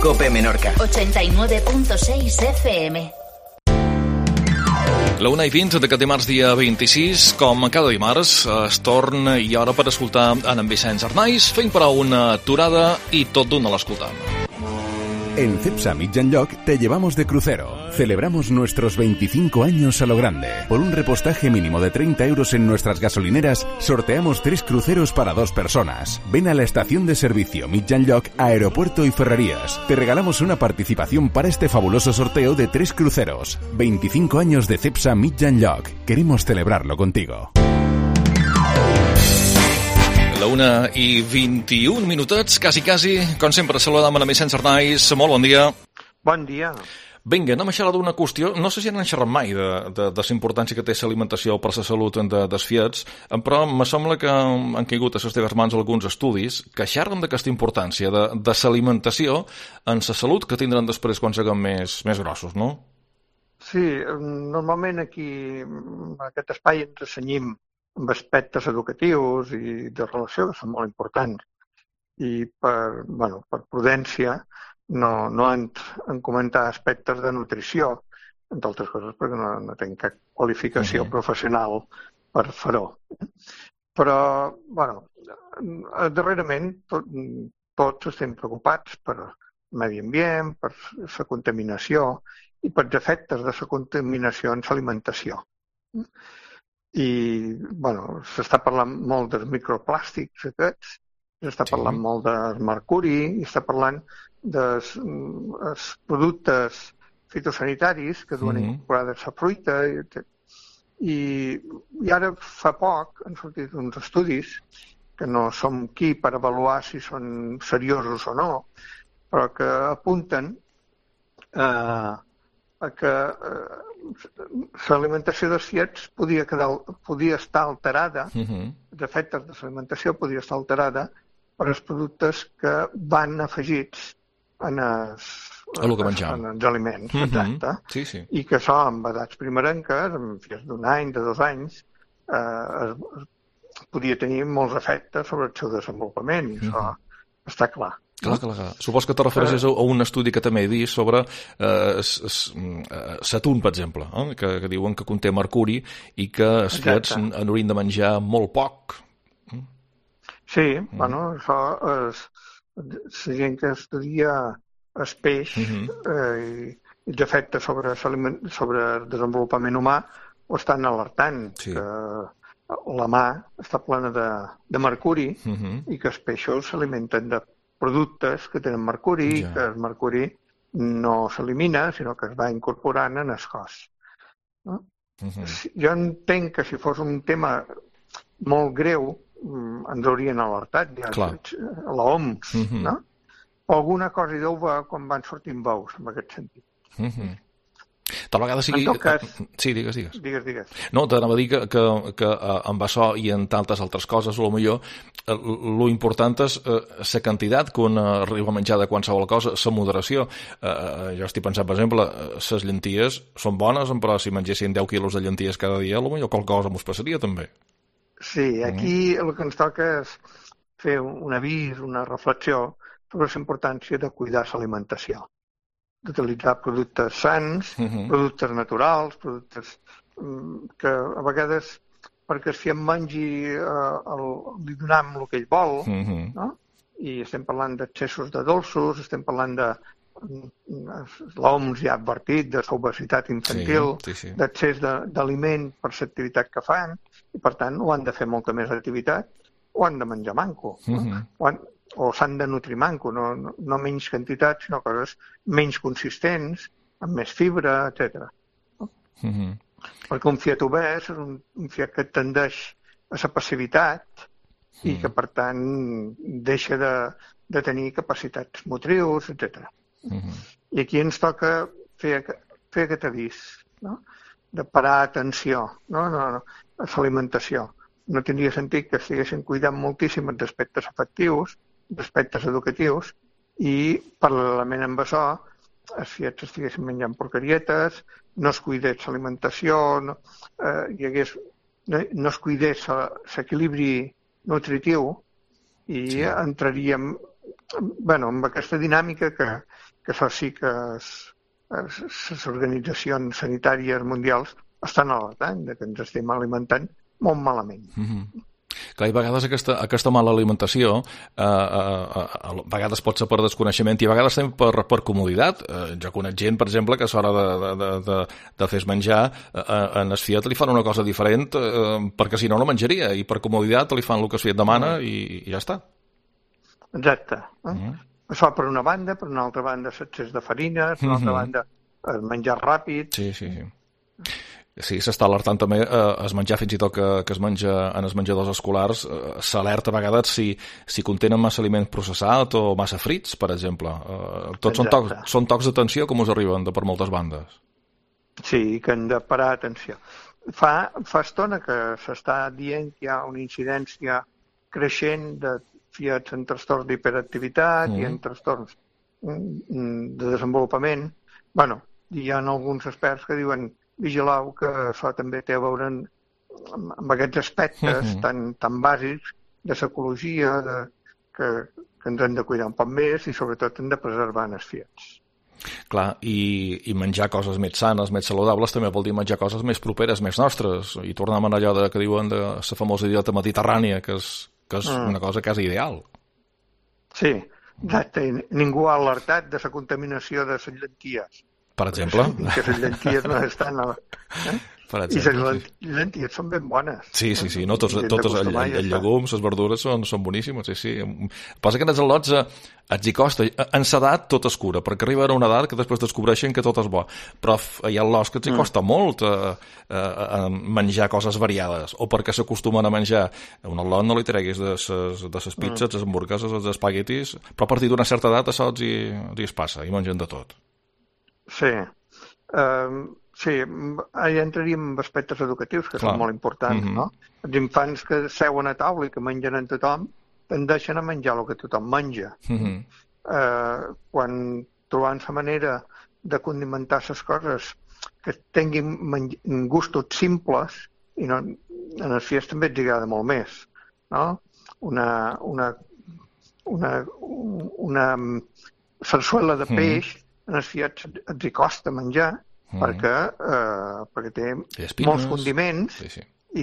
COPE Menorca. 89.6 FM. La 1:20 d'aquest dimarts, dia 26, com cada dimarts, es torna i hora per escoltar en Vicenç Arnaiz, fent parar una aturada i tot d'una l'escoltar. En Cepsa Mitjanlloc te llevamos de crucero. Celebramos nuestros 25 años a lo grande. Por un repostaje mínimo de 30 euros en nuestras gasolineras, sorteamos 3 cruceros para 2 personas. Ven a la estación de servicio Mitjanlloc, Aeropuerto y Ferrerías. Te regalamos una participación para este fabuloso sorteo de 3 cruceros. 25 años de Cepsa Mitjanlloc. Queremos celebrarlo contigo. La 1:21 minutets, quasi, com sempre, saludam a Vicenç Arnaiz. Molt bon dia. Bon dia. Vinga, anem a xerrar d'una qüestió. No sé si n'han xerrat mai de la importància que té l'alimentació per la salut dels fiets, però me sembla que han caigut a les teves mans alguns estudis que xerren d'aquesta importància de l'alimentació en la salut que tindran després quan siguem més grossos, no? Sí, normalment aquí, en aquest espai, ens assenyim amb aspectes educatius i de relació que són molt importants. I per prudència no en comentar aspectes de nutrició, entre altres coses perquè no tinc cap qualificació professional per fer-ho. Però, darrerament tots estem preocupats per el medi ambient, per la contaminació i per els efectes de la contaminació en l'alimentació. I, s'està parlant molt dels microplàstics aquests, s'està parlant molt del mercuri, i està parlant dels productes fitosanitaris que duen incorporades a fruita. I ara fa poc han sortit uns estudis que no som qui per avaluar si són seriosos o no, però que apunten a que l'alimentació dels fiets podia estar alterada, els efectes de l'alimentació podia estar alterada per els productes que van afegits en els aliments, exacte, i que això amb edats primerenques, amb fies d'un any, de 2 anys, podia tenir molts efectes sobre el seu desenvolupament, i això està clar. Clar. Supos que te refereixes a un estudi que també he vist sobre l'atún, per exemple, que diuen que conté mercuri i que els fiets n'haurien de menjar molt poc. Sí, això és la gent que estudia el peix i els efectes sobre el desenvolupament humà ho estan alertant, que la mar està plena de mercuri i que els peixos s'alimenten de productes que tenen mercuri, que el mercuri no s'elimina, sinó que es va incorporant en el cos. Jo entenc que si fos un tema molt greu ens haurien alertat ja a l'OMS, no? Alguna cosa hi deu haver quan van sortint veus, en aquest sentit. Tal vegada sigui... En tot cas... Sí, digues. Digues. No, t'anava a dir que amb això i en tantes altres coses, potser lo important és la quantitat que un arriba a menjar de qualsevol cosa, la moderació. Jo estic pensant, per exemple, les llenties són bones, però si mengessin 10 quilos de llenties cada dia, potser qualque cosa m'ho passaria també. Sí, aquí el que ens toca és fer un avís, una reflexió sobre la importància de cuidar l'alimentació, d'utilitzar productes sans, productes naturals, productes que a vegades perquè el fiat mengi li donem el que ell vol, no? I estem parlant d'excessos de dolços, estem parlant de l'OMS ja ha advertit de l'obesitat infantil, d'excés d'aliment per l'activitat que fan, i per tant o han de fer molta més activitat o han de menjar manco, o s'han de nutrir manco, no menys quantitat, sinó coses menys consistents, amb més fibra, etc. Perquè un fiat obès és un fiat que tendeix a la passivitat i que, per tant, deixa de tenir capacitats motrius, etc. I aquí ens toca fer aquest avís, no? De parar atenció a l'alimentació. No tindria sentit que estiguessin cuidant moltíssim els aspectes afectius, d'aspectes educatius, i paral·lelament amb això els fiets estiguessin menjant porquerietes, no es cuidés l'alimentació, no es cuidés l'equilibri nutritiu, i entraríem en aquesta dinàmica que això sí que les organitzacions sanitàries mundials estan alertant de que ens estem alimentant molt malament. Clar, i a vegades aquesta mala alimentació a vegades pot ser per desconeixement i a vegades també per comoditat. Jo conec gent, per exemple, que a l'hora de fer menjar en el Fiat li fan una cosa diferent perquè si no menjaria, i per comoditat li fan el que el Fiat demana i ja està. Exacte. Això per una banda, per una altra banda l'excés de farina, per una altra banda el menjar ràpid. Sí, s'està alertant també es menjar fins i tot que es menja en els menjadors escolars, s'alerta a vegades si contenen massa aliment processat o massa frits, per exemple. Tots són tocs d'atenció com us arriben per moltes bandes. Sí, que hem de parar atenció. Fa estona que s'està dient que hi ha una incidència creixent de fiats en trastorns d'hiperactivitat i en trastorns de desenvolupament. Bueno, hi ha alguns experts que diuen vigilau que això també té a veure amb aquests aspectes tan bàsics de psicologia, que ens hem de cuidar un poc més i sobretot hem de preservar els fiats. Clar, i menjar coses més sanes, més saludables, també vol dir menjar coses més properes, més nostres, i tornem a allò que diuen de la famosa dieta mediterrània, que és una cosa quasi ideal. Sí, exacte. Ningú ha alertat de la contaminació de les llenties. Per exemple? Que les llenties no estan... Per exemple, I les llenties són ben bones. Sí. No, tots els llegums, les verdures són boníssimes, sí. Passa que en els al·lots els hi costa. En l'edat tot es cura, perquè arriben a una edat que després descobreixen que tot és bo. Però hi ha al·lots que els hi costa molt menjar coses variades, o perquè s'acostumen a menjar. Un al·lot no li treguis de les pizzas, les hamburgueses, els espaguetis, però a partir d'una certa edat això els hi es passa, i mengen de tot. Sí. Sí, ja entraríem en aspectes educatius que són molt importants, no? Els infants que seuen a taula i que mengen en tothom tendeixen a menjar el que tothom menja. Quan trobant la manera de condimentar les coses que tinguin gustos simples, i no, en els fiats també ens agrada molt més, no? Una sarsuela de peix en els fiats ens hi costa menjar, perquè té molts condiments i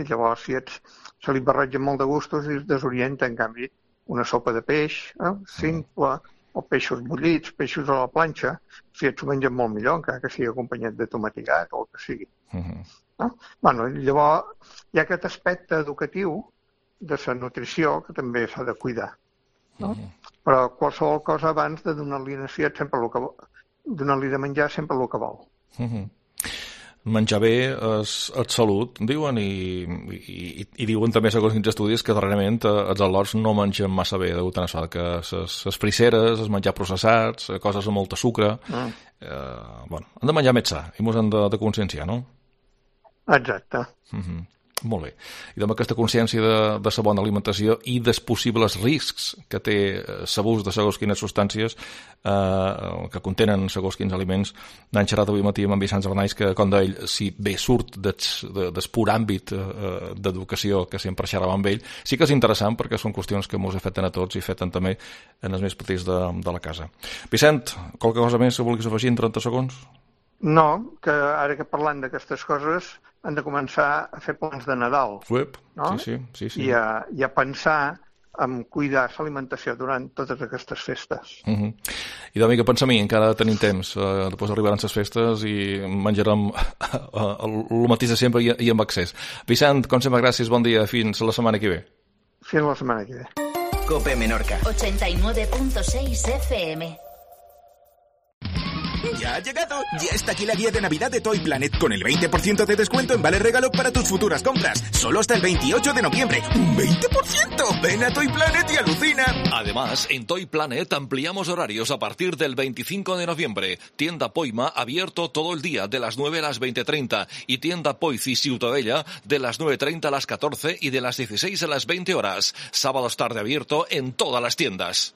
llavors se li barregen molt de gustos i es desorienta. En canvi, una sopa de peix simple, o peixos bullits, peixos a la planxa, s'ho mengen molt millor, encara que sigui acompanyat de tomatigat o el que sigui. Llavors hi ha aquest aspecte educatiu de la nutrició que també s'ha de cuidar. Però qualsevol cosa abans de donar-li a fiat sempre el que vol. Donar-li de menjar sempre el que vol. Menjar bé és salut, diuen, i diuen també, segons quins estudis, que darrerament els al·lots no mengen massa bé, degut a això, que les frisseres, els menjar processats, coses amb molta sucre... Bueno, han de menjar més sa, i ens han de conscienciar, no? Exacte. Molt bé. I amb aquesta consciència de la bona alimentació i dels possibles riscs que té l'abús de segons quines substàncies que contenen segons quins aliments, n'han xerrat avui matí amb en Vicenç Arnaiz, que, com d'ell, si bé surt del pur àmbit d'educació que sempre xerrava amb ell, sí que és interessant perquè són qüestions que ens afecten a tots i afecten també en els més petits de la casa. Vicent, qualque cosa més que vulguis afegir en 30 segons? No, que ara que parlant d'aquestes coses han de començar a fer plans de Nadal. No? Sí. I a pensar en cuidar l'alimentació durant totes aquestes festes. I de mica pensa a mi, encara tenim temps. Després arribaran les festes i menjarem el mateix de sempre i amb accés. Vicent, com sempre, gràcies, bon dia. Fins la setmana que ve. Fins la setmana que ve. COPE Menorca 89.6 FM. Ya ha llegado, ya está aquí la guía de Navidad de Toy Planet con el 20% de descuento en vale regalo para tus futuras compras. Solo hasta el 28 de noviembre. ¡Un 20%! Ven a Toy Planet y alucina. Además, en Toy Planet ampliamos horarios a partir del 25 de noviembre. Tienda Poima abierto todo el día de las 9 a las 20:30 y tienda Poici Ciutadella de las 9:30 a las 14 y de las 16 a las 20 horas. Sábados tarde abierto en todas las tiendas.